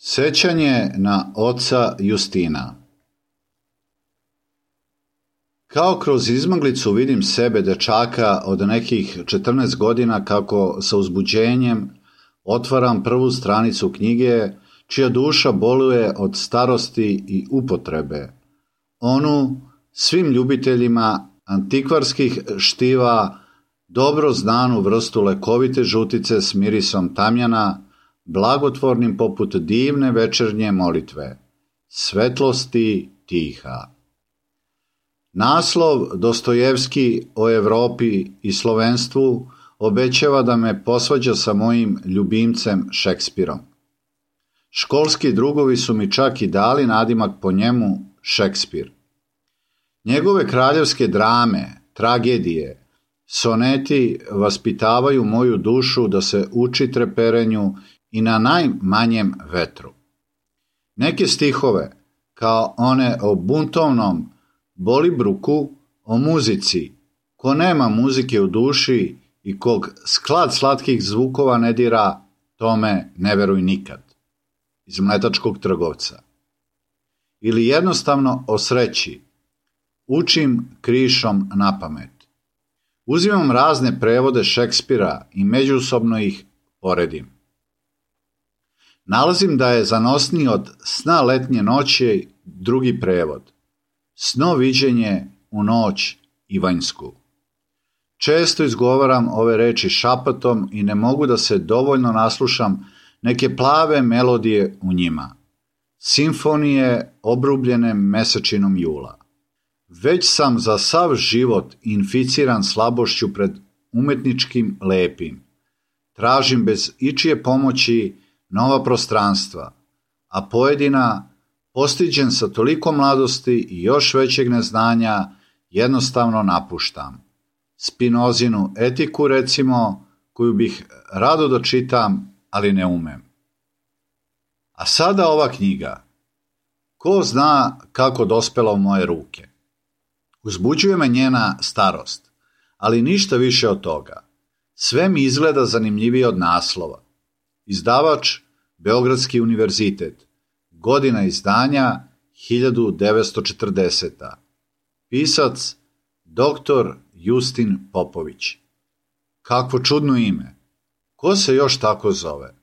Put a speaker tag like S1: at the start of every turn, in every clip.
S1: Sećanje na oca Justina. Kao kroz izmaglicu vidim sebe, dečaka od nekih 14 godina, kako sa uzbuđenjem otvaram prvu stranicu knjige, čija duša boluje od starosti i upotrebe. Onu svim ljubiteljima antikvarskih štiva dobro znanu vrstu lekovite žutice s mirisom tamjana, blagotvornim poput divne večernje molitve, svetlosti tiha. Naslov Dostojevski o Evropi i slovenstvu obećava da me posvađa sa mojim ljubimcem Šekspirom. Školski drugovi su mi čak i dali nadimak po njemu Šekspir. Njegove kraljevske drame, tragedije, soneti vaspitavaju moju dušu da se uči treperenju i na najmanjem vetru. Neke stihove, kao one o buntovnom Bolibruku, o muzici, ko nema muzike u duši i kog sklad slatkih zvukova ne dira, tome ne veruj nikad, iz Mletačkog trgovca. Ili jednostavno o sreći, učim krišom napamet. Uzimam razne prevode Šekspira i međusobno ih poredim. Nalazim da je zanosniji od Sna letnje noći drugi prevod, Sno viđenje u noć ivanjsku. Često izgovaram ove reči šapatom i ne mogu da se dovoljno naslušam neke plave melodije u njima, simfonije obrubljene mesečinom jula. Već sam za sav život inficiran slabošću pred umetničkim lepim. Tražim bez ičije pomoći nova prostranstva, a pojedina, postiđen sa toliko mladosti i još većeg neznanja, jednostavno napuštam. Spinozinu etiku, recimo, koju bih rado da čitam, ali ne umem. A sada ova knjiga. Ko zna kako dospela u moje ruke? Uzbuđuje me njena starost, ali ništa više od toga. Sve mi izgleda zanimljivije od naslova. Izdavač Beogradski univerzitet. Godina izdanja 1940. Pisac dr. Justin Popović. Kakvo čudno ime. Ko se još tako zove?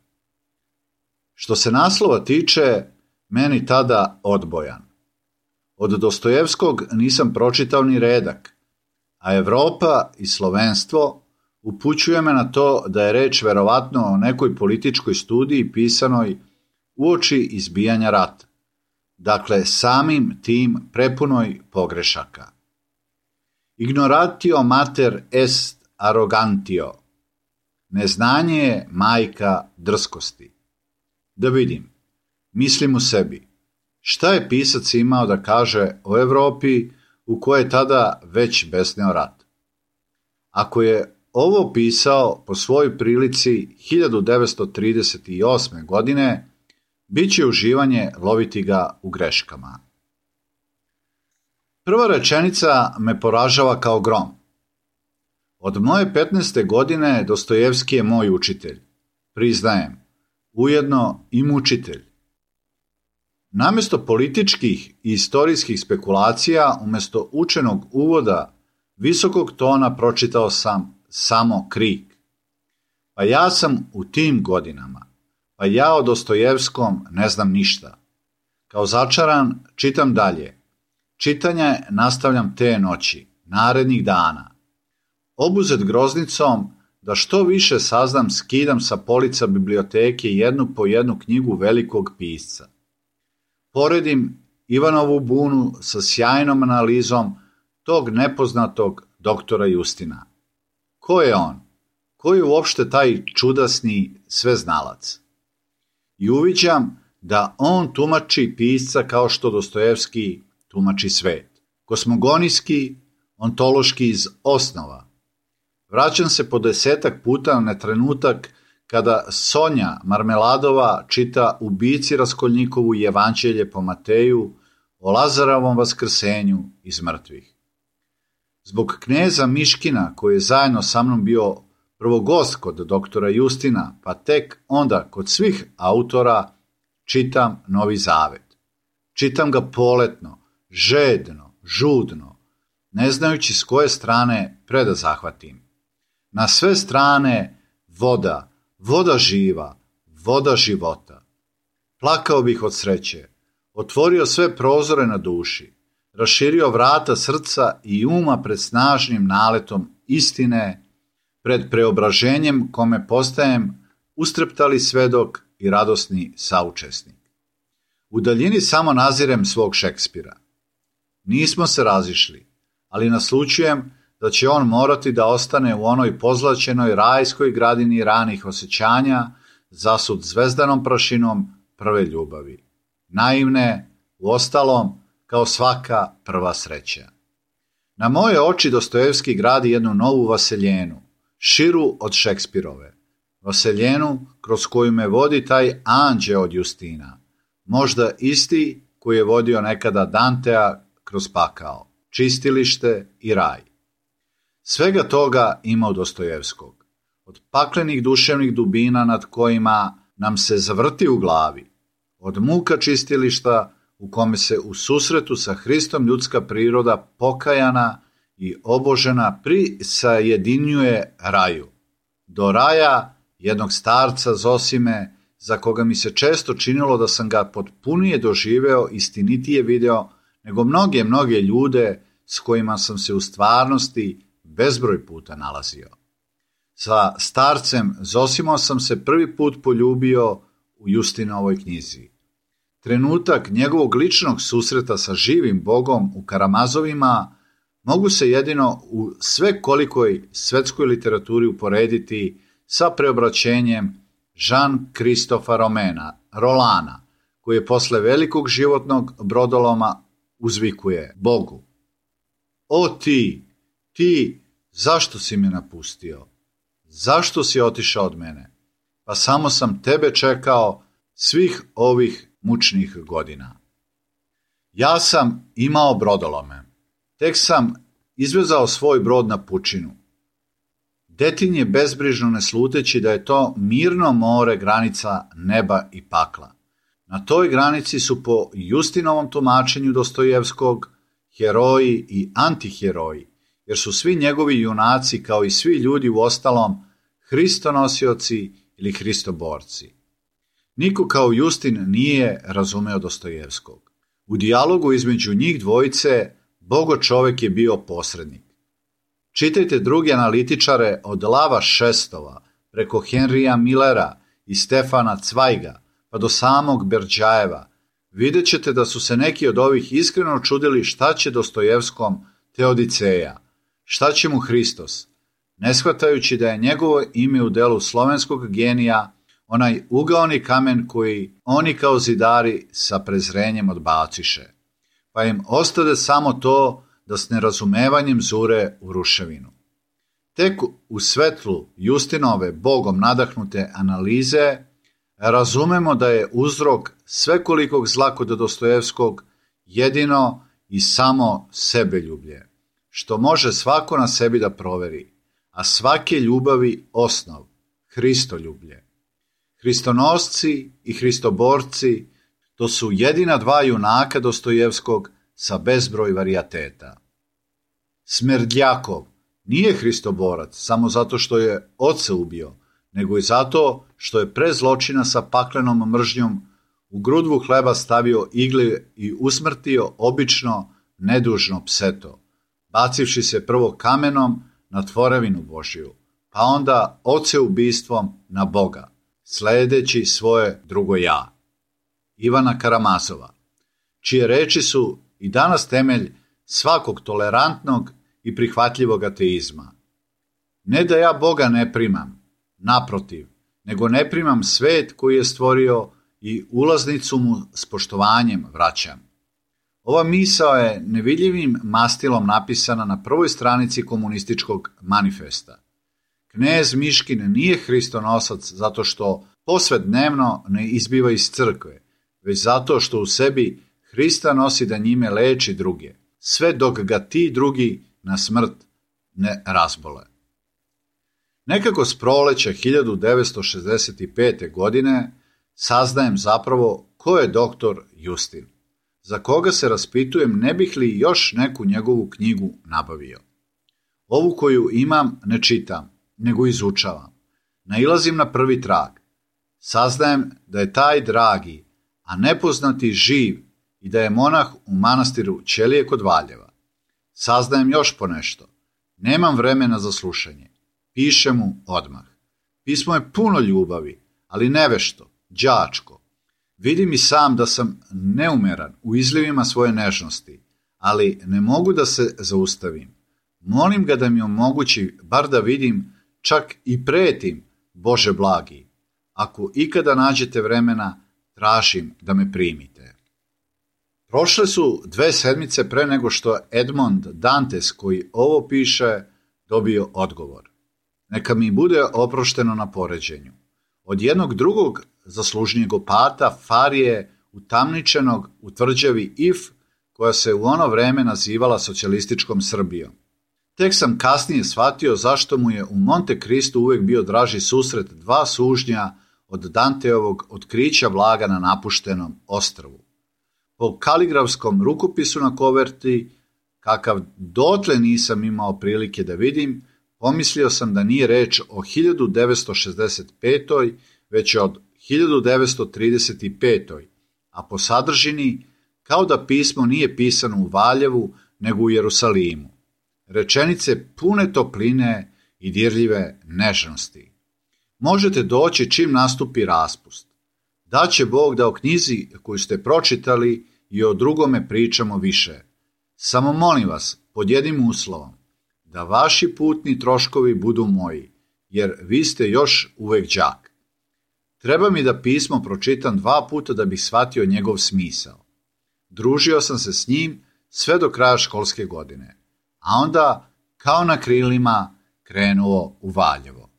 S1: Što se naslova tiče, meni tada odbojan. Od Dostojevskog nisam pročitao ni redak, a Evropa i slovenstvo upućuje me na to da je reč verovatno o nekoj političkoj studiji pisanoj uoči izbijanja rata. Dakle, samim tim prepunoj pogrešaka. Ignoratio mater est arrogantio. Neznanje je majka drskosti. Da vidim, mislim u sebi, šta je pisac imao da kaže o Evropi u kojoj je tada već besneo rat? Ako je ovo pisao po svojoj prilici 1938. godine, bit će uživanje loviti ga u greškama. Prva rečenica me poražava kao grom. Od moje 15. godine Dostojevski je moj učitelj, priznajem, ujedno i mučitelj. Namjesto političkih i istorijskih spekulacija, umjesto učenog uvoda visokog tona, pročitao sam samo krik. Pa ja sam u tim godinama, pa ja o Dostojevskom ne znam ništa. Kao začaran čitam dalje. Čitanje nastavljam te noći, narednih dana. Obuzet groznicom da što više saznam, skidam sa polica biblioteke jednu po jednu knjigu velikog pisca. Poredim Ivanovu bunu sa sjajnom analizom tog nepoznatog doktora Justina. Ko je on? Ko je uopšte taj čudasni sveznalac? I uviđam da on tumači pisca kao što Dostojevski tumači svet. Kosmogonijski, ontološki iz osnova. Vraćam se po 10 puta na trenutak kada Sonja Marmeladova čita ubici Raskolnikovu Evanđelje po Mateju o Lazarovom vaskrsenju iz mrtvih. Zbog kneza Miškina, koji je zajedno sa mnom bio prvo gost kod doktora Justina, pa tek onda kod svih autora, čitam Novi Zavet. Čitam ga poletno, žedno, žudno, ne znajući s koje strane preda zahvatim. Na sve strane voda, voda živa, voda života. Plakao bih od sreće, otvorio sve prozore na duši, raširio vrata srca i uma pred snažnim naletom istine, pred preobraženjem kome postajem ustreptali svedok i radosni saučesnik. U daljini samo nazirem svog Šekspira. Nismo se razišli, ali naslućujem da će on morati da ostane u onoj pozlaćenoj rajskoj gradini ranih osjećanja, zasut zvezdanom prašinom prve ljubavi. Naivne, uostalom, kao svaka prva sreća. Na moje oči Dostojevski gradi jednu novu vaseljenu, širu od Šekspirove. Vaseljenu kroz koju me vodi taj anđeo od Justina, možda isti koji je vodio nekada Dantea kroz pakao, čistilište i raj. Svega toga ima u Dostojevskog. Od paklenih duševnih dubina nad kojima nam se zavrti u glavi, od muka čistilišta u kome se u susretu sa Hristom ljudska priroda pokajana i obožena prisajedinjuje raju, do raja jednog starca Zosime, za koga mi se često činilo da sam ga potpunije doživeo, istinitije video, nego mnoge ljude s kojima sam se u stvarnosti bezbroj puta nalazio. Sa starcem Zosimom sam se prvi put poljubio u Justinovoj knjizi. Trenutak njegovog ličnog susreta sa živim Bogom u Karamazovima mogu se jedino u svekolikoj svetskoj literaturi uporediti sa preobraćenjem Jean-Christopha Rolana, koji je posle velikog životnog brodoloma uzvikuje Bogu: O ti, zašto si me napustio? Zašto si otišao od mene? Pa samo sam tebe čekao svih ovih mučnih godina. Ja sam imao brodolome. Tek sam izvezao svoj brod na pučinu. Detin je bezbrižno ne sluteći da je to mirno more granica neba i pakla. Na toj granici su po Justinovom tumačenju Dostojevskog heroji i antiheroji, jer su svi njegovi junaci kao i svi ljudi u ostalom hristonosioci ili hristoborci. Niko kao Justin nije razumeo Dostojevskog. U dijalogu između njih dvojice Bogo čovek je bio posrednik. Čitajte druge analitičare od Lava Šestova, preko Henrya Millera i Stefana Cvajga, pa do samog Berdžajeva. Vidjet ćete da su se neki od ovih iskreno čudili šta će Dostojevskom Teodiceja, šta će mu Hristos, ne shvatajući da je njegovo ime u delu slovenskog genija onaj ugaoni kamen koji oni kao zidari sa prezrenjem odbaciše, pa im ostade samo to da s nerazumevanjem zure u ruševinu. Tek u svetlu Justinove Bogom nadahnute analize razumemo da je uzrok svekolikog zla kod Dostojevskog jedino i samo sebeljublje, što može svako na sebi da proveri, a svake ljubavi osnov, Hristoljublje. Hristonosci i hristoborci, to su jedina dva junaka Dostojevskog sa bezbroj varijateta. Smerdljakov nije hristoborac samo zato što je oca ubio, nego i zato što je pre zločina sa paklenom mržnjom u grudvu hleba stavio igle i usmrtio obično nedužno pseto, bacivši se prvo kamenom na tvorevinu Božiju, pa onda oceubistvom na Boga, sledeći svoje drugo ja. Ivana Karamazova, čije reči su i danas temelj svakog tolerantnog i prihvatljivog ateizma. Ne da ja Boga ne primam, naprotiv, nego ne primam svet koji je stvorio i ulaznicu mu s poštovanjem vraćam. Ova misao je nevidljivim mastilom napisana na prvoj stranici komunističkog manifesta. Knez Miškin nije hristonosac zato što posvednevno ne izbiva iz crkve, već zato što u sebi Hrista nosi da njime leči druge, sve dok ga ti drugi na smrt ne razbole. Nekako s proleća 1965. godine saznajem zapravo ko je doktor Justin, za koga se raspitujem ne bih li još neku njegovu knjigu nabavio. Ovu koju imam ne čitam, nego izučavam. Nailazim na prvi trag. Saznajem da je taj dragi, a nepoznati živ i da je monah u manastiru Ćelije kod Valjeva. Saznajem još ponešto. Nemam vremena za slušanje. Pišem mu odmah. Pismo je puno ljubavi, ali nevešto, đačko. Vidim i sam da sam neumeran u izljevima svoje nežnosti, ali ne mogu da se zaustavim. Molim ga da mi omogući bar da vidim, čak i pretim, Bože blagi. Ako ikada nađete vremena, tražim da me primite. Prošle su 2 sedmice pre nego što Edmond Dantes, koji ovo piše, dobio odgovor. Neka mi bude oprošteno na poređenju. Od jednog drugog zaslužnijeg opata, Farije, utamničenog u tvrđavi If, koja se u ono vreme nazivala socijalističkom Srbijom. Tek sam kasnije shvatio zašto mu je u Monte Cristu uvek bio draži susret 2 sužnja od Danteovog otkrića blaga na napuštenom ostrvu. Po kaligrafskom rukopisu na koverti, kakav dotle nisam imao prilike da vidim, pomislio sam da nije reč o 1965. već od 1935. A po sadržini, kao da pismo nije pisano u Valjevu, nego u Jerusalimu. Rečenice pune topline i dirljive nežnosti. Možete doći čim nastupi raspust. Daće Bog da o knjizi koju ste pročitali i o drugome pričamo više. Samo molim vas, pod jednim uslovom, da vaši putni troškovi budu moji, jer vi ste još uvek đak. Treba mi da pismo pročitam 2 puta da bih shvatio njegov smisao. Družio sam se s njim sve do kraja školske godine, a onda, kao na krilima, krenuo u Valjevo.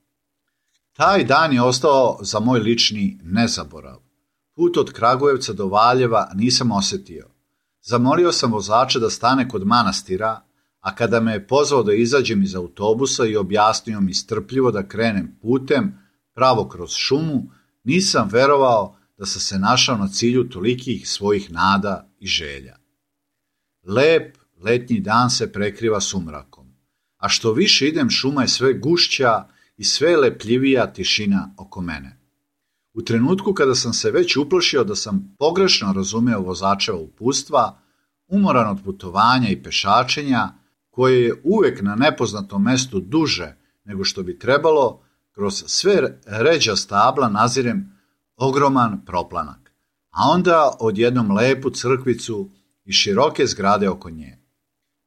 S1: Taj dan je ostao za moj lični nezaborav. Put od Kragujevca do Valjeva nisam osetio. Zamolio sam vozača da stane kod manastira, a kada me je pozvao da izađem iz autobusa i objasnio mi strpljivo da krenem putem pravo kroz šumu, nisam verovao da sam se našao na cilju tolikih svojih nada i želja. Lep letnji dan se prekriva sumrakom, a što više idem, šuma je sve gušća i sve lepljivija tišina oko mene. U trenutku kada sam se već uplašio da sam pogrešno razumeo vozačeva uputstva, umoran od putovanja i pešačenja, koje je uvek na nepoznatom mestu duže nego što bi trebalo, kroz sve ređa stabla nazirem ogroman proplanak, a onda odjednom lepu crkvicu i široke zgrade oko nje.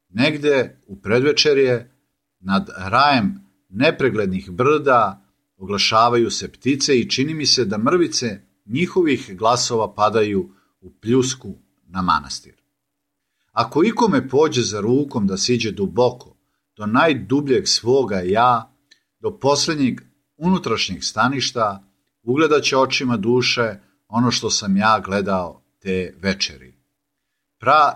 S1: Negde u predvečerje, nad rajem nepreglednih brda, oglašavaju se ptice i čini mi se da mrvice njihovih glasova padaju u pljusku na manastir. Ako ikome pođe za rukom da siđe duboko, do najdubljeg svoga ja, do posljednjeg unutrašnjeg staništa, ugledaće očima duše ono što sam ja gledao te večeri.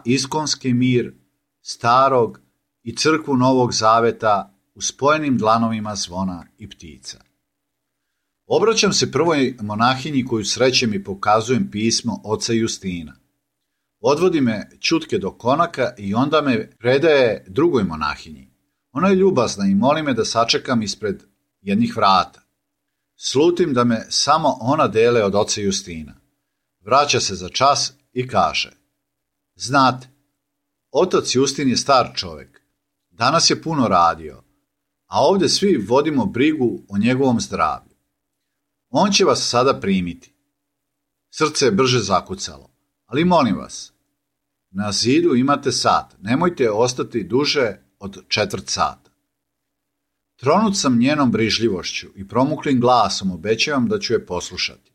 S1: Iskonski mir starog i crkvu Novog Zaveta u spojenim dlanovima zvona i ptica. Obraćam se prvoj monahinji koju srećem i pokazujem pismo oca Justina. Odvodi me ćutke do konaka i onda me predaje drugoj monahinji. Ona je ljubazna i moli me da sačekam ispred jednih vrata. Slutim da me samo ona dele od oca Justina. Vraća se za čas i kaže: znate, otac Justin je star čovek. Danas je puno radio, a ovdje svi vodimo brigu o njegovom zdravlju. On će vas sada primiti. Srce je brže zakucalo, ali molim vas, na zidu imate sat, nemojte ostati duže od 1/4 sata. Tronut sam njenom brižljivošću i promuklim glasom obećavam da ću je poslušati.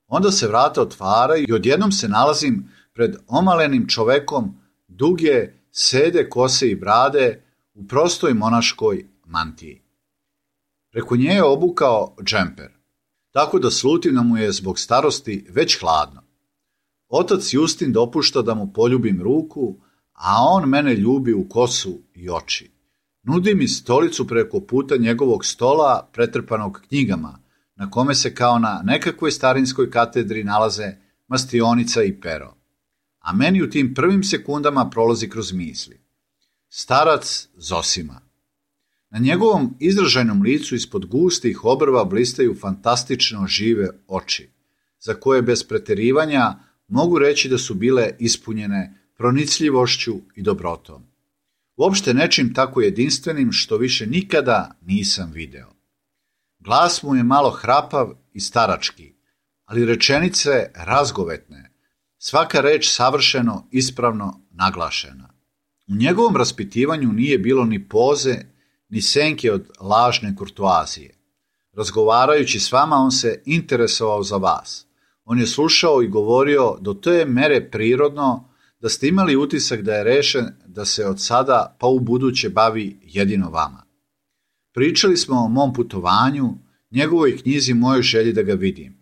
S1: Onda se vrata otvaraju i odjednom se nalazim pred omalenim čovekom duge, sede kose i brade u prostoj monaškoj mantiji. Preko nje je obukao džemper, tako da slutim da mu je zbog starosti već hladno. Otac Justin dopušta da mu poljubim ruku, a on mene ljubi u kosu i oči. Nudi mi stolicu preko puta njegovog stola pretrpanog knjigama, na kome se kao na nekakvoj starinskoj katedri nalaze mastionica i pero. A meni u tim prvim sekundama prolazi kroz misli. Starac Zosima. Na njegovom izražajnom licu ispod gustih obrva blistaju fantastično žive oči, za koje bez preterivanja mogu reći da su bile ispunjene pronicljivošću i dobrotom. Uopšte nečim tako jedinstvenim što više nikada nisam video. Glas mu je malo hrapav i starački, ali rečenice razgovetne, svaka reč savršeno, ispravno naglašena. U njegovom raspitivanju nije bilo ni poze, ni senke od lažne kurtoazije. Razgovarajući s vama, on se interesovao za vas. On je slušao i govorio do te mere prirodno da ste imali utisak da je rešen da se od sada pa u buduće bavi jedino vama. Pričali smo o mom putovanju, njegovoj knjizi, mojoj želji da ga vidim.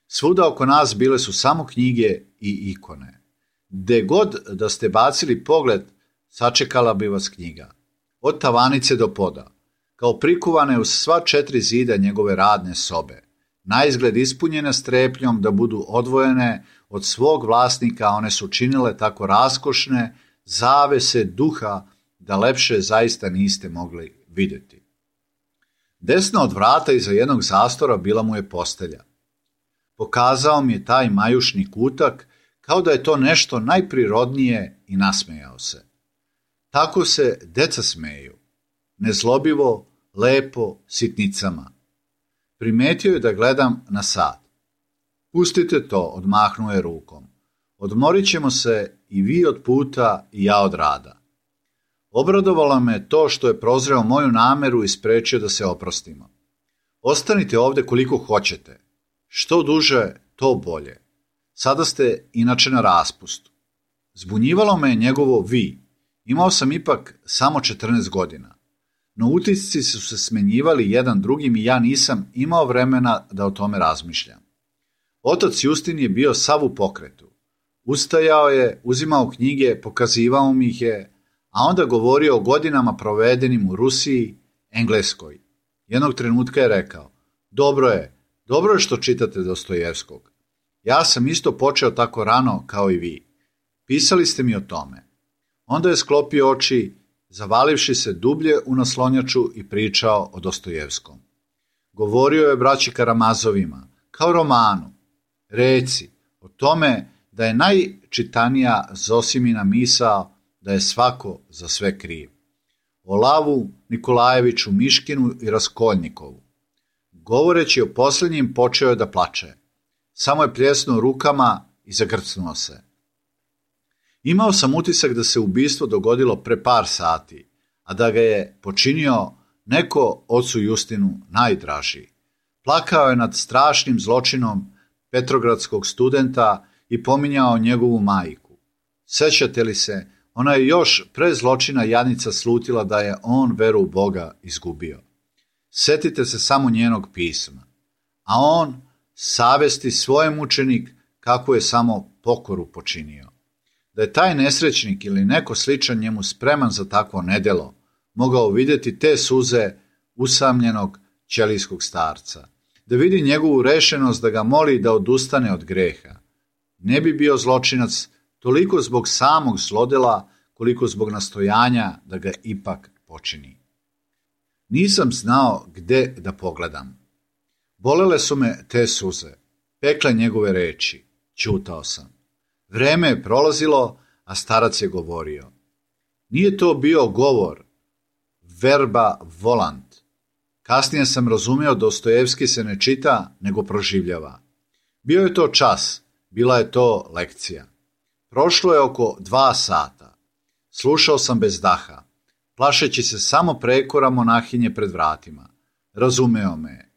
S1: Svuda oko nas bile su samo knjige i ikone. Gde god da ste bacili pogled, sačekala bi vas knjiga. Od tavanice do poda, kao prikuvane uz sva 4 zida njegove radne sobe, naizgled ispunjene strepnjom da budu odvojene od svog vlasnika, one su činile tako raskošne zavese duha da lepše zaista niste mogli vidjeti. Desno od vrata iza jednog zastora bila mu je postelja. Pokazao mi je taj majušni kutak kao da je to nešto najprirodnije i nasmejao se. Tako se deca smeju, nezlobivo, lepo, sitnicama. Primetio je da gledam na sat. Pustite to, odmahnuo je rukom. Odmorit ćemo se i vi od puta i ja od rada. Obradovalo me to što je prozreo moju nameru i sprečio da se oprostimo. Ostanite ovde koliko hoćete. Što duže, to bolje. Sada ste inače na raspustu. Zbunjivalo me njegovo vi. Imao sam ipak samo 14 godina. No utisci su se smenjivali jedan drugim i ja nisam imao vremena da o tome razmišljam. Otac Justin je bio sav u pokretu. Ustajao je, uzimao knjige, pokazivao mi ih je, a onda govorio o godinama provedenim u Rusiji, Engleskoj. Jednog trenutka je rekao, dobro je što čitate Dostojevskog. Ja sam isto počeo tako rano kao i vi. Pisali ste mi o tome. Onda je sklopio oči, zavalivši se dublje u naslonjaču i pričao o Dostojevskom. Govorio je braći Karamazovima, kao romanu. Reci, o tome da je najčitanija Zosimina misao da je svako za sve kriv. O Lavu, Nikolajeviću, Miškinu i Raskolnikovu. Govoreći o posljednjim, počeo je da plače. Samo je pljesnuo rukama i zagrcnuo se. Imao sam utisak da se ubistvo dogodilo pre par sati, a da ga je počinio neko ocu Justinu najdražiji. Plakao je nad strašnim zločinom petrogradskog studenta i pominjao njegovu majku. Sećate li se, ona je još pre zločina jadnica slutila da je on veru u Boga izgubio. Setite se samo njenog pisma. A on, savesti svoj mučenik, kako je samo pokoru počinio. Da je taj nesrećnik ili neko sličan njemu spreman za takvo nedelo, mogao vidjeti te suze usamljenog ćelijskog starca. Da vidi njegovu rešenost da ga moli da odustane od greha. Ne bi bio zločinac toliko zbog samog zlodela, koliko zbog nastojanja da ga ipak počini. Nisam znao gde da pogledam. Bolele su me te suze, pekle njegove reči, ćutao sam. Vreme je prolazilo, a starac je govorio. Nije to bio govor, verba volant. Kasnije sam razumio Dostojevski se ne čita, nego proživljava. Bio je to čas, bila je to lekcija. Prošlo je oko 2 sata. Slušao sam bez daha, plašeći se samo prekora monahinje pred vratima. Razumeo me je.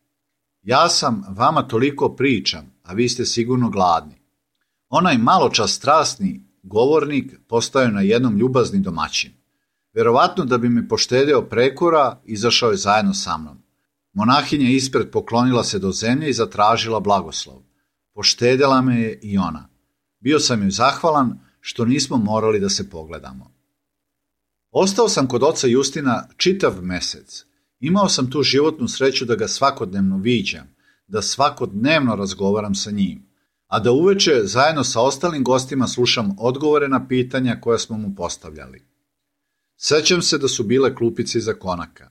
S1: Ja sam vama toliko pričam, a vi ste sigurno gladni. Onaj maločas strasni govornik postao je na jednom ljubazni domaćin. Verovatno da bi me poštedeo prekora, izašao je zajedno sa mnom. Monahinja ispred poklonila se do zemlje i zatražila blagoslov. Poštedela me je i ona. Bio sam joj zahvalan što nismo morali da se pogledamo. Ostao sam kod oca Justina čitav mesec. Imao sam tu životnu sreću da ga svakodnevno viđam, da svakodnevno razgovaram sa njim, a da uveče zajedno sa ostalim gostima slušam odgovore na pitanja koja smo mu postavljali. Sećam se da su bile klupice iza konaka.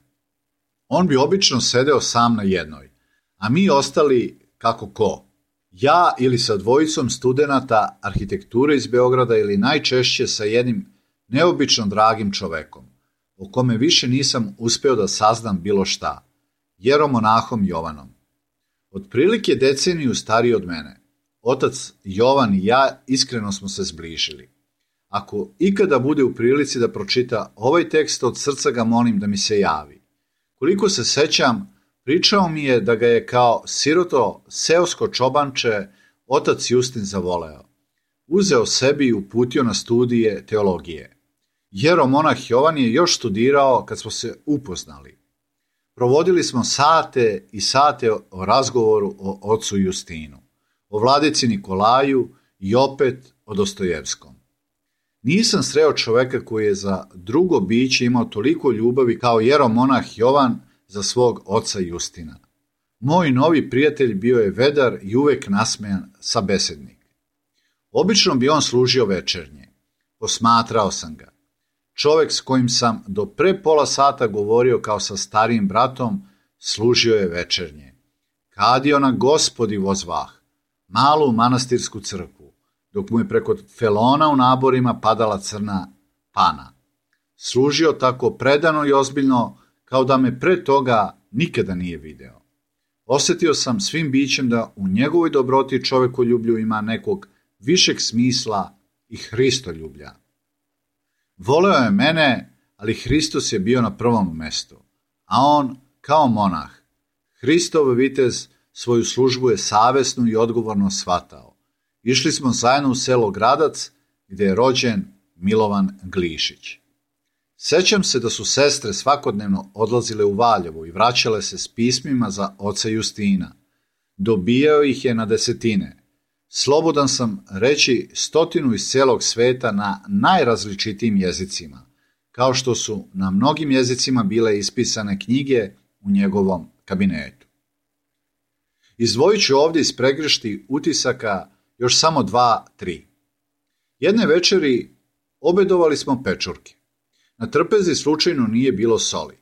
S1: On bi obično sedeo sam na jednoj, a mi ostali kako ko. Ja ili sa dvojicom studenata arhitekture iz Beograda ili najčešće sa jednim neobično dragim čovekom, o kome više nisam uspeo da saznam bilo šta, jeromonahom Jovanom. Otprilike deceniju stariji od mene, otac Jovan i ja iskreno smo se zbližili. Ako ikada bude u prilici da pročita ovaj tekst, od srca ga molim da mi se javi. Koliko se sećam, pričao mi je da ga je kao siroto seosko čobanče otac Justin zavoleo. Uzeo sebi i uputio na studije teologije. Jeromonah Jovan je još studirao kad smo se upoznali. Provodili smo sate i sate o razgovoru o ocu Justinu, o vladici Nikolaju i opet o Dostojevskom. Nisam sreo čoveka koji je za drugo biće imao toliko ljubavi kao jeromonah Jovan za svog oca Justina. Moj novi prijatelj bio je vedar i uvek nasmejan sabesednik. Obično bi on služio večernje. Posmatrao sam ga. Čovek s kojim sam do pre pola sata govorio kao sa starijim bratom, služio je večernje. Kadio na Gospodi vozvah, malu manastirsku crkvu, dok mu je preko felona u naborima padala crna pana. Služio tako predano i ozbiljno, kao da me pre toga nikada nije video. Osjetio sam svim bićem da u njegovoj dobroti i čovekoljublju ima nekog višeg smisla i Hristoljublja. Voleo je mene, ali Hristos je bio na prvom mestu, a on kao monah. Hristov vitez svoju službu je savesno i odgovorno shvatao. Išli smo zajedno u selo Gradac, gdje je rođen Milovan Glišić. Sećam se da su sestre svakodnevno odlazile u Valjevo i vraćale se s pismima za oca Justina. Dobijao ih je na desetine. Slobodan sam reći 100 iz celog sveta na najrazličitijim jezicima, kao što su na mnogim jezicima bile ispisane knjige u njegovom kabinetu. Izdvojit ću ovdje iz pregršti utisaka još samo 2-3. Jedne večeri obedovali smo pečurke. Na trpezi slučajno nije bilo soli.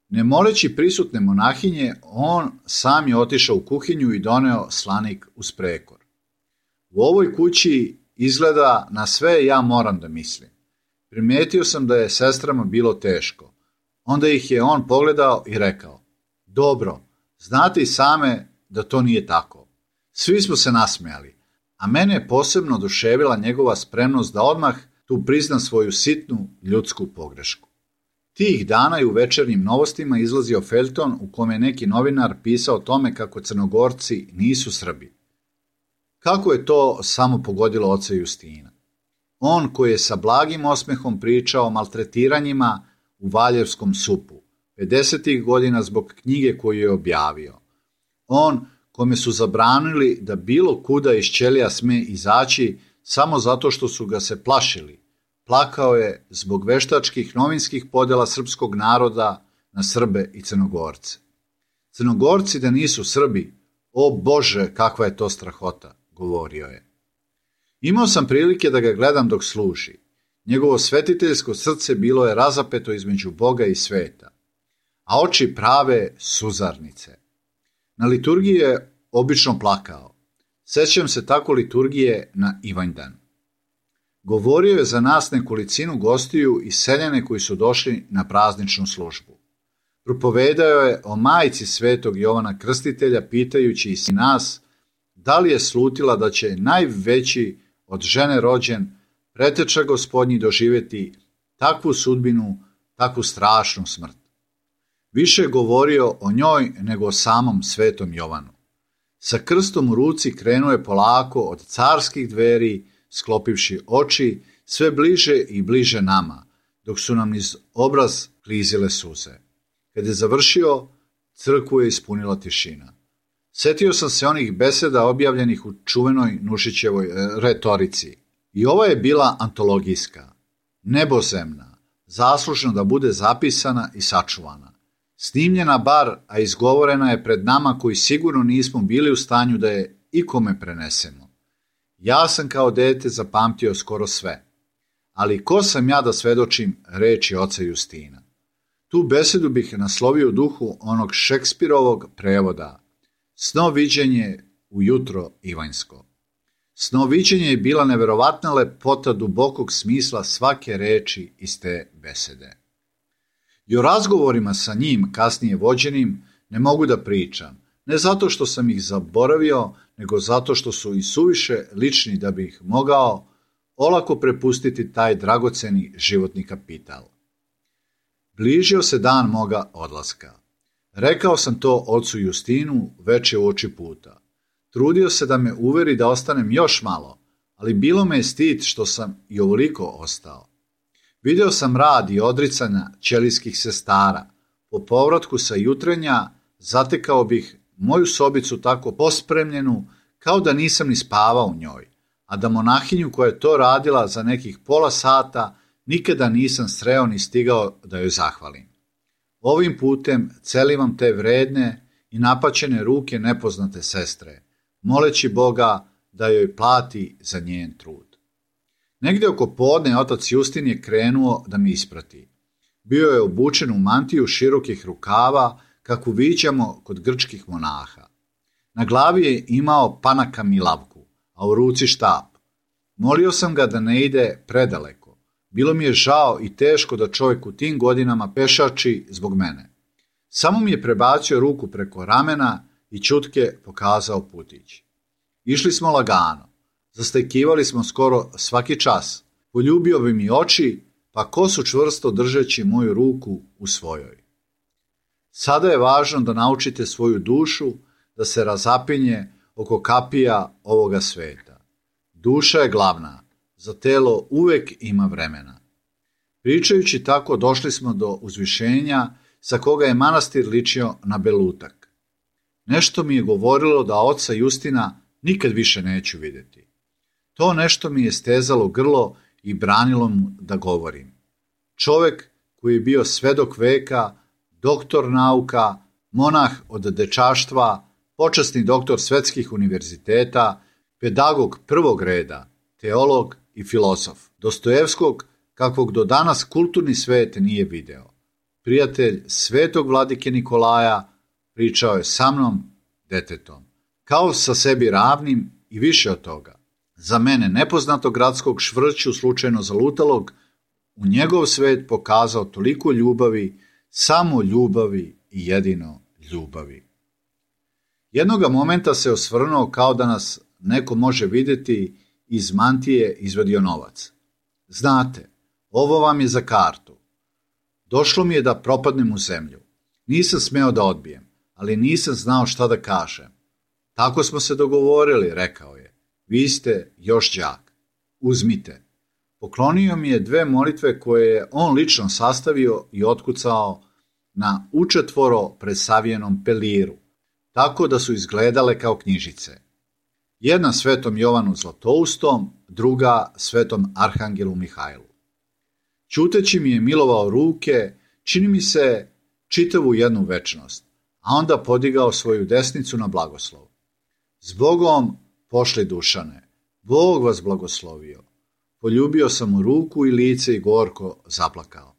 S1: Ne moleći prisutne monahinje, on sam je otišao u kuhinju i doneo slanik uz prekor. U ovoj kući izgleda na sve ja moram da mislim. Primetio sam da je sestrama bilo teško. Onda ih je on pogledao i rekao: dobro, znate i same da to nije tako. Svi smo se nasmejali, a mene je posebno oduševila njegova spremnost da odmah tu prizna svoju sitnu ljudsku pogrešku. Tih dana i u večernjim novostima izlazio feljton u kome je neki novinar pisao o tome kako Crnogorci nisu Srbi. Kako je to samo pogodilo oca Justina? On koji je sa blagim osmehom pričao o maltretiranjima u Valjevskom supu, 50. godina zbog knjige koju je objavio. On kome su zabranili da bilo kuda iz ćelija sme izaći samo zato što su ga se plašili. Plakao je zbog veštačkih novinskih podela srpskog naroda na Srbe i Crnogorce. Crnogorci da nisu Srbi, o Bože, kakva je to strahota, govorio je. Imao sam prilike da ga gledam dok služi. Njegovo svetiteljsko srce bilo je razapeto između Boga i sveta, a oči prave suzarnice. Na liturgiji je obično plakao. Sećam se tako liturgije na Ivanjdan. Govorio je za nas nekolicinu gostiju i seljane koji su došli na prazničnu službu. Propovedao je o majci svetog Jovana Krstitelja, pitajući i nas da li je slutila da će najveći od žene rođen preteča Gospodnji doživjeti takvu sudbinu, takvu strašnu smrt. Više je govorio o njoj nego o samom svetom Jovanu. Sa krstom u ruci krenuo je polako od carskih dveri, sklopivši oči, sve bliže i bliže nama, dok su nam niz obraz klizile suze. Kad je završio, crkvu je ispunila tišina. Setio sam se onih beseda objavljenih u čuvenoj Nušićevoj retorici. I ova je bila antologijska, nebozemna, zaslužna da bude zapisana i sačuvana. Snimljena bar, a izgovorena je pred nama koji sigurno nismo bili u stanju da je ikome prenesemo. Ja sam kao dete zapamtio skoro sve. Ali ko sam ja da svedočim reči oca Justina? Tu besedu bih naslovio u duhu onog Šekspirovog prevoda. Snoviđenje ujutro Ivanjsko. Snoviđenje je bila neverovatna lepota dubokog smisla svake reči iz te besede. I o razgovorima sa njim, kasnije vođenim, ne mogu da pričam, ne zato što sam ih zaboravio, nego zato što su i suviše lični da bih mogao olako prepustiti taj dragoceni životni kapital. Bližio se dan moga odlaska. Rekao sam to ocu Justinu veče uoči puta. Trudio se da me uveri da ostanem još malo, ali bilo me je stid što sam i ovoliko ostao. Video sam rad i odricanja ćelijskih sestara. Po povratku sa jutrenja zatekao bih moju sobicu tako pospremljenu kao da nisam ni spavao u njoj, a da monahinju koja je to radila za nekih pola sata nikada nisam sreo ni stigao da joj zahvalim. Ovim putem celivam te vredne i napaćene ruke nepoznate sestre, moleći Boga da joj plati za njen trud. Negdje oko podne otac Justin je krenuo da mi isprati. Bio je obučen u mantiju širokih rukava, kakvu viđamo kod grčkih monaha. Na glavi je imao panaka milavku, a u ruci štap. Molio sam ga da ne ide predaleko. Bilo mi je žao i teško da čovjek u tim godinama pešači zbog mene. Samo mi je prebacio ruku preko ramena i ćutke pokazao putić. Išli smo lagano. Zastajkivali smo skoro svaki čas. Poljubio bi mi oči, pa kosu čvrsto držeći moju ruku u svojoj. Sada je važno da naučite svoju dušu da se razapinje oko kapija ovoga sveta. Duša je glavna, za telo uvek ima vremena. Pričajući tako došli smo do uzvišenja sa koga je manastir ličio na belutak. Nešto mi je govorilo da oca Justina nikad više neću vidjeti. To nešto mi je stezalo grlo i branilo mu da govorim. Čovjek koji je bio svedok veka, doktor nauka, monah od dečaštva, počasni doktor svetskih univerziteta, pedagog prvog reda, teolog i filozof, Dostojevskog kakvog do danas kulturni svet nije video. Prijatelj svetog vladike Nikolaja pričao je sa mnom, detetom, kao sa sebi ravnim i više od toga. Za mene nepoznatog gradskog švrću slučajno zalutalog, u njegov svet pokazao toliko ljubavi, samo ljubavi i jedino ljubavi. Jednoga momenta se osvrnuo kao da nas neko može vidjeti, iz mantije izvadio novac. Znate, ovo vam je za kartu. Došlo mi je da propadnem u zemlju. Nisam smeo da odbijem, ali nisam znao šta da kažem. Tako smo se dogovorili, rekao je. Vi ste još đak. Uzmite. Poklonio mi je 2 molitve koje je on lično sastavio i otkucao na učetvoro presavijenom peliru, tako da su izgledale kao knjižice. Jedna svetom Jovanu Zlatoustom, druga svetom Arhangelu Mihajlu. Ćuteći mi je milovao ruke, čini mi se čitavu jednu večnost, a onda podigao svoju desnicu na blagoslov. Zbogom pošli Dušane, Bog vas blagoslovio. Poljubio sam mu ruku i lice i gorko zaplakao.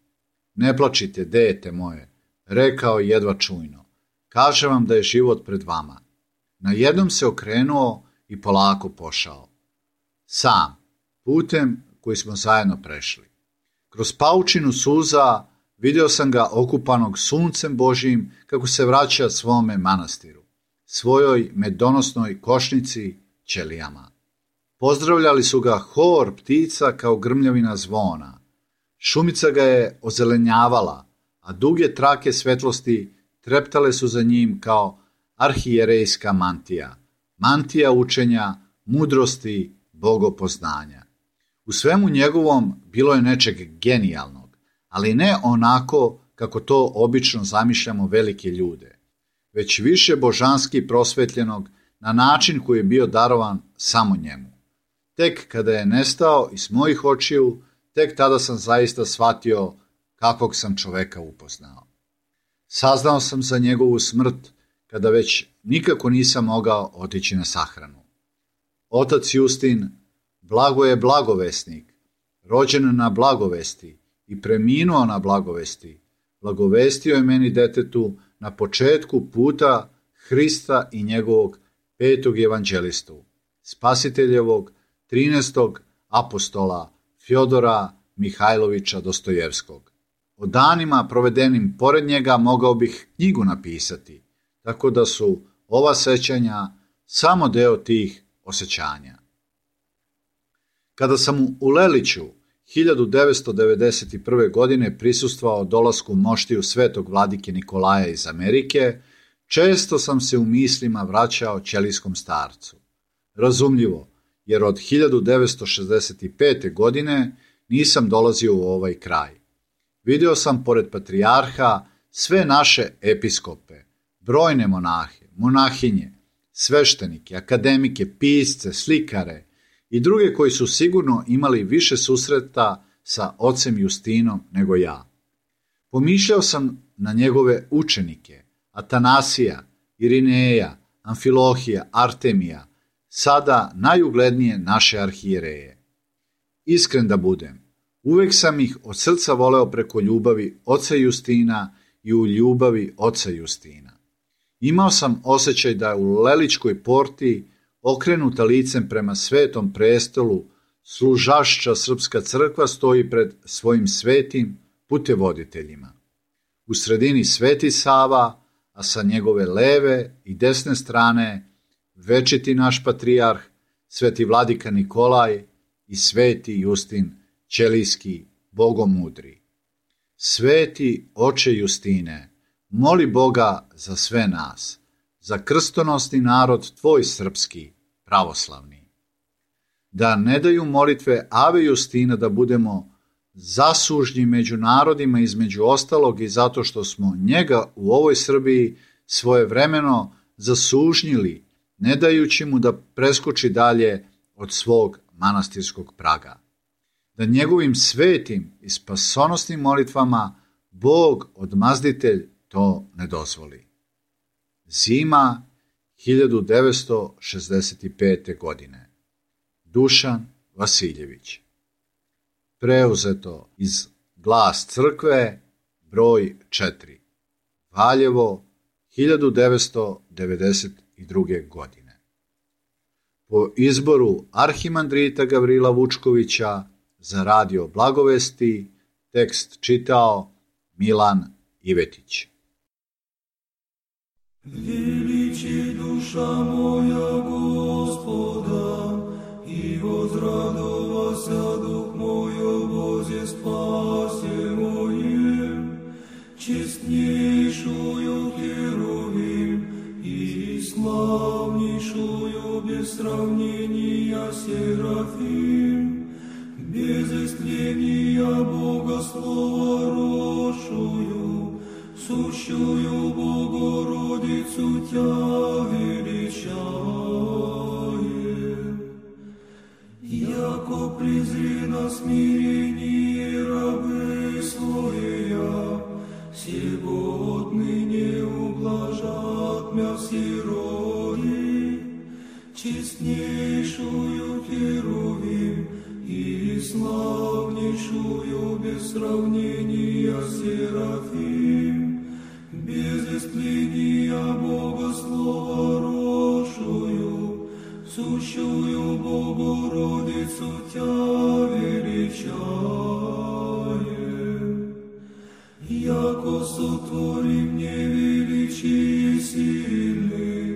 S1: Ne plačite, dete moje, rekao jedva čujno. Kažem vam da je život pred vama. Najednom se okrenuo i polako pošao. Sam, putem koji smo zajedno prešli. Kroz paučinu suza video sam ga okupanog suncem Božijim kako se vraća svome manastiru, svojoj medonosnoj košnici ćelijama. Pozdravljali su ga hor ptica kao grmljavina zvona. Šumica ga je ozelenjavala, a duge trake svetlosti treptale su za njim kao arhijerejska mantija, mantija učenja, mudrosti, bogopoznanja. U svemu njegovom bilo je nečeg genijalnog, ali ne onako kako to obično zamišljamo velike ljude, već više božanski prosvetljenog na način koji je bio darovan samo njemu. Tek kada je nestao iz mojih očiju, tek tada sam zaista shvatio kakvog sam čoveka upoznao. Saznao sam za njegovu smrt kada već nikako nisam mogao otići na sahranu. Otac Justin, Blagoje blagovesnik, rođen na blagovesti i preminuo na blagovesti, blagovestio je meni detetu na početku puta Hrista i njegovog 5. evanđelistu, spasiteljevog 13. apostola Fjodora Mihajlovića Dostojevskog. O danima provedenim pored njega mogao bih knjigu napisati, tako da su ova sećanja samo deo tih osjećanja. Kada sam u Leliću 1991. godine prisustvovao dolasku moštiju svetog vladike Nikolaja iz Amerike, često sam se u mislima vraćao ćelijskom starcu. Razumljivo, jer od 1965. godine nisam dolazio u ovaj kraj. Video sam pored patrijarha sve naše episkope, brojne monahe, monahinje, sveštenike, akademike, pisce, slikare i druge koji su sigurno imali više susreta sa ocem Justinom nego ja. Pomišljao sam na njegove učenike, Atanasija, Irineja, Amfilohija, Artemija, sada najuglednije naše arhijereje. Iskren da budem, uvek sam ih od srca voleo preko ljubavi oca Justina i u ljubavi oca Justina. Imao sam osjećaj da u Leličkoj porti, okrenuta licem prema svetom prestolu, služašća srpska crkva stoji pred svojim svetim putevoditeljima. U sredini Sveti Sava, a sa njegove leve i desne strane večiti naš patrijarh, sveti vladika Nikolaj i sveti Justin ćelijski bogomudri. Sveti oče Justine, moli Boga za sve nas, za krstonosni narod tvoj srpski, pravoslavni. Da ne daju molitve Ave Justina da budemo zasužnji među narodima između ostalog i zato što smo njega u ovoj Srbiji svojevremeno zasužnjili, ne dajući mu da preskoči dalje od svog manastirskog praga. Da njegovim svetim i spasonosnim molitvama Bog odmazditelj to ne dozvoli. Zima 1965. godine. Dušan Vasiljević. Preuzeto iz Glas crkve, broj 4. Valjevo, 1992. godine. Po izboru arhimandrita Gavrila Vučkovića za radio Blagovesti, tekst čitao Milan Ivetić.
S2: Величи душа моя Господа, и возрадовался дух мой о Бозе спасе моем, честнейшую Херувим и славнейшую без сравнения Серафим, без истления Бога слова рошую, сущую Богородицу Тя величаем. Яко презри на смирение рабы своя, сего отныне ублажат мя сирои, честнейшую Херувим и славнейшую без сравнения Серафим, без истления Бога слова рошую, сущую Богородицу Тя величаем. Яко сотвори мне величие сильный,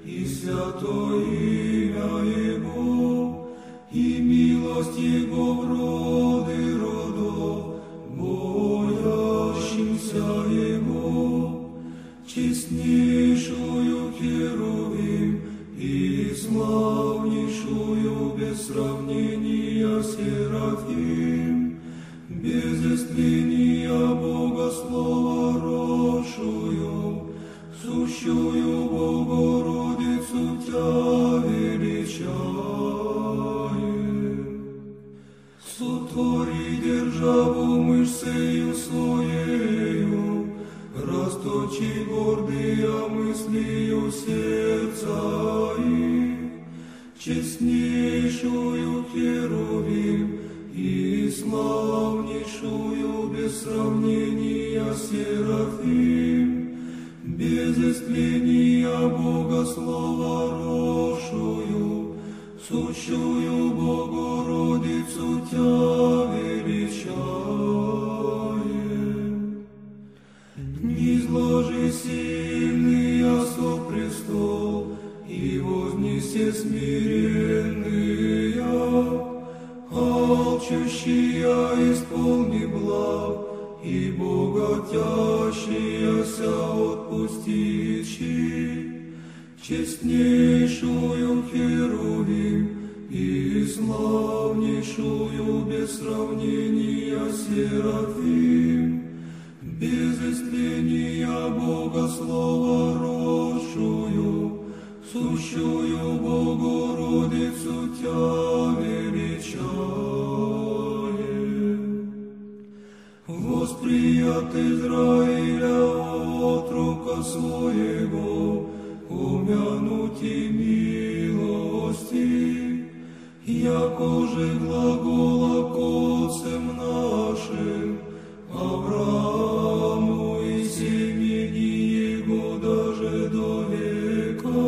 S2: и святое имя Его, и милость Его в роды родов, боящимся Его, честнейшую Херувим и славнейшую без сравнения Серафим, без истления Бога слова рошую, сущую Богородицу Тя величаем. Сотвори державу мышцею своею, расточи гордыя мыслью сердца их, честнейшую Херувим и славнейшую без сравнения Серафим, без истления Бога Слова рошую, сущую Богородицу Тя величаем. Низложи сильный со престол, и вознесе смиренные, алчущия исполни благ, и богатящаяся отпустичи, честнейшую Херувим и славнейшую без сравнения Серафим, без истления Бога Слова рошую, сущую Богородицу Тя величаем. Восприят Израиля от рука своего, умянути милости, яко же глагола к отцам нашим, Аврааму и семени его даже до века,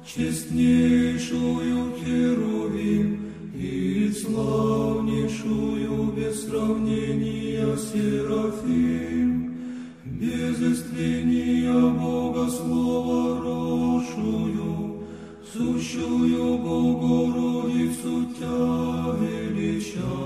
S2: честнейшую Херувим и славнейшую без сравнения Серафим, без истления Бога Слова рошую, сущую Богородицу Тя величаем.